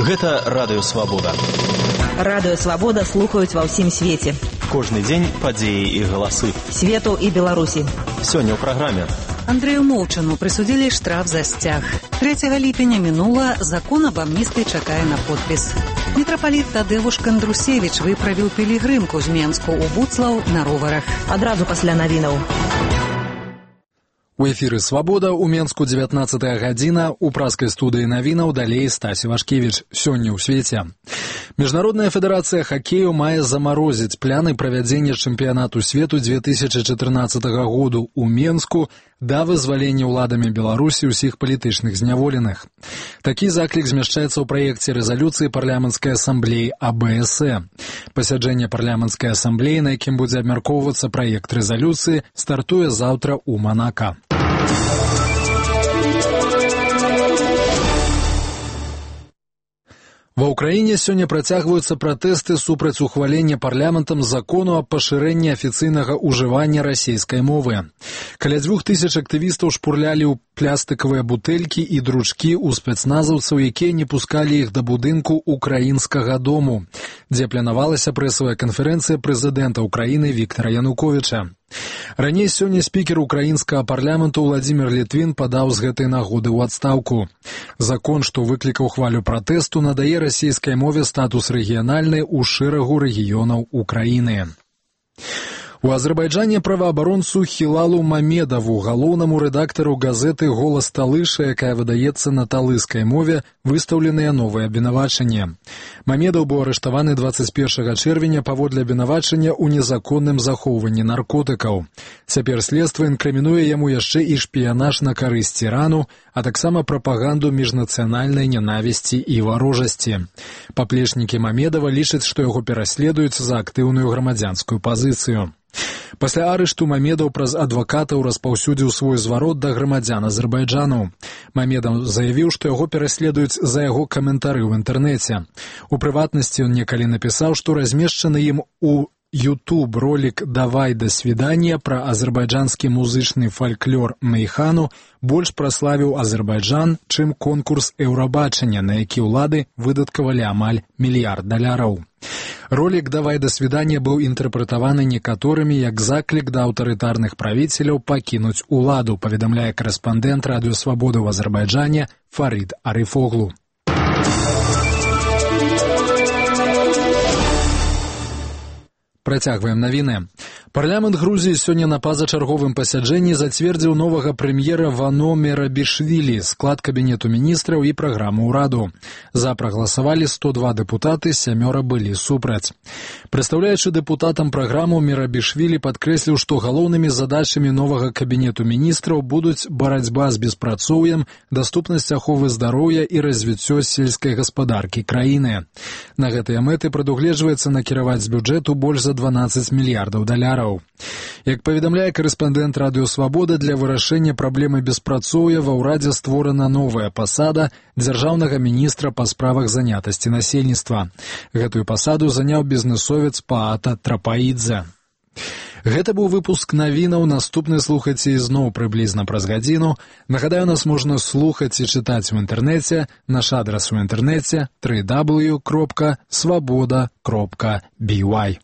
Гэта Радыё Свабода. Радыё Свабода слухаюць ва ўсім свеце. Кожны дзень падзеі і галасы. Свету і Беларусі. Сёння ў праграме. Андрею Молчану присудили штраф за стяг. 3 липня минуло, закон об амнистии чакае на подпис. Митрополит Тадеуш Кандрусевич выправил пілігрымку з Менску у Буцлаў на роварах. Адразу пасля навінаў. У эфіры «Свабода» у Менску 19 гадзіна, у праскай студыі навінаў далей Стась Івашкевіч. Сёння ў свеце. Міжнародная федэрацыя хакею мае замарозіць пляны правядзення чэмпіянату свету 2014 году ў Менску да вызвалення ўладамі Беларусі ўсіх палітычных зняволеных. Такі заклік змяшчаецца ў праекце рэзалюцыі парламенцкай асамблеі АБСЭ. Пасяджэнне парламенцкай асамблеі, на якім будзе абмяркоўвацца праект рэзалюцыі, стартуе заўтра ў Манака. Ва ўкраіне сёння працягваюцца пратэсты супраць ухвалення парламентам закону аб пашырэнні афіцыйнага ўжывання расійскай мовы. Каля 2000 актывістаў шпурлялі ў пластыкавыя бутэлькі і дручкі ў спецназаўцаў, якія не пускалі іх да будынку украінскага дому, дзе планавалася прэсавая канферэнцыя прэзідэнта Украіны Віктара Януковіча. Раней сёння спікер украінскага парламенту Владзімір Літвін падаў з гэтай нагоды ў адстаўку. Закон, што выклікаў хвалю пратэсту, надае расійскай мове статус рэгіянальнай у шэрагу рэгіёнаў Украіны. У Азербайджане праваабаронцу Хілалу Мамедаву, галоўнаму рэдактару газеты «Голас Талыша», якая выдаецца на талыскай мове, выстаўленыя новыя абвінавачанні. Мамедаў быў арыштаваны 21 чэрвеня паводле абвінавачання ў незаконным захоўванні наркотыкаў. Цяпер следства інкрымінуе яму яшчэ і шпіянаж на карысць Ірану, а таксама прапаганду міжнацыянальнай нянавісці і варожасці. Паплечнікі Мамедава лічаць, што яго пераследуюць за актыўную грамадзянскую пазіцыю. Пасля арышту Мамедаў праз адвакатаў распаўсюдзіў свой зварот да грамадзян Азербайджану. Мамедаў заявіў, што яго пераследуюць за яго каментары ў інтэрнэце. У прыватнасці ён некалі напісаў, што размешчаны ім у YouTube ролик «Давай до свидания» пра азербайджанскі музычны фальклор Мейхану больш праславіў Азербайджан, чым конкурс Еўрабачання, на які ўлады выдаткавалі амаль $1 мільярд. Ролик «Давай до свидания» быў інтэрпрэтаваны некаторымі як заклік да аўтарытарных правіцеляў пакінуць уладу, паведамляе корэспандэнт Радыё Свабода ў Азербайджане Фарид Арифоглу. Працягваем навіны. Парламент Грузіі сёння на пазачарговым пасяджэнні зацвердзіў новага прэм'ера Вано Мерабішвілі, склад кабінету міністраў і праграму ўраду. За прагаласавалі 102 дэпутаты, 7 былі супраць. Прадстаўляючы дэпутатам праграму, Мерабішвілі падкрэсліў, што галоўнымі задачамі новага кабінету міністраў будуць барацьба з беспрацоўем, даступнасць аховы здароўя і развіццё сельскай гаспадаркі краіны. На гэтыя мэты прадугледжваецца накіраваць з бюджэту больш за $12 мільярдаў. Як паведамляе корэспандэнт Радыё Свабода, для вырашэння праблемы беспрацоўя ва ўрадзе створана новая пасада дзяржаўнага міністра па справах занятасці насельніцтва. Гэтую пасаду заняў бізнэсовец Паата Трапаідзе. Гэта быў выпуск навінаў, наступны слухайце ізноў прыблізна праз гадзіну. Нагадаю, нас можна слухаць і чытаць у інтэрнэце. Наш адрас у інтэрнэце www.swaboda.by.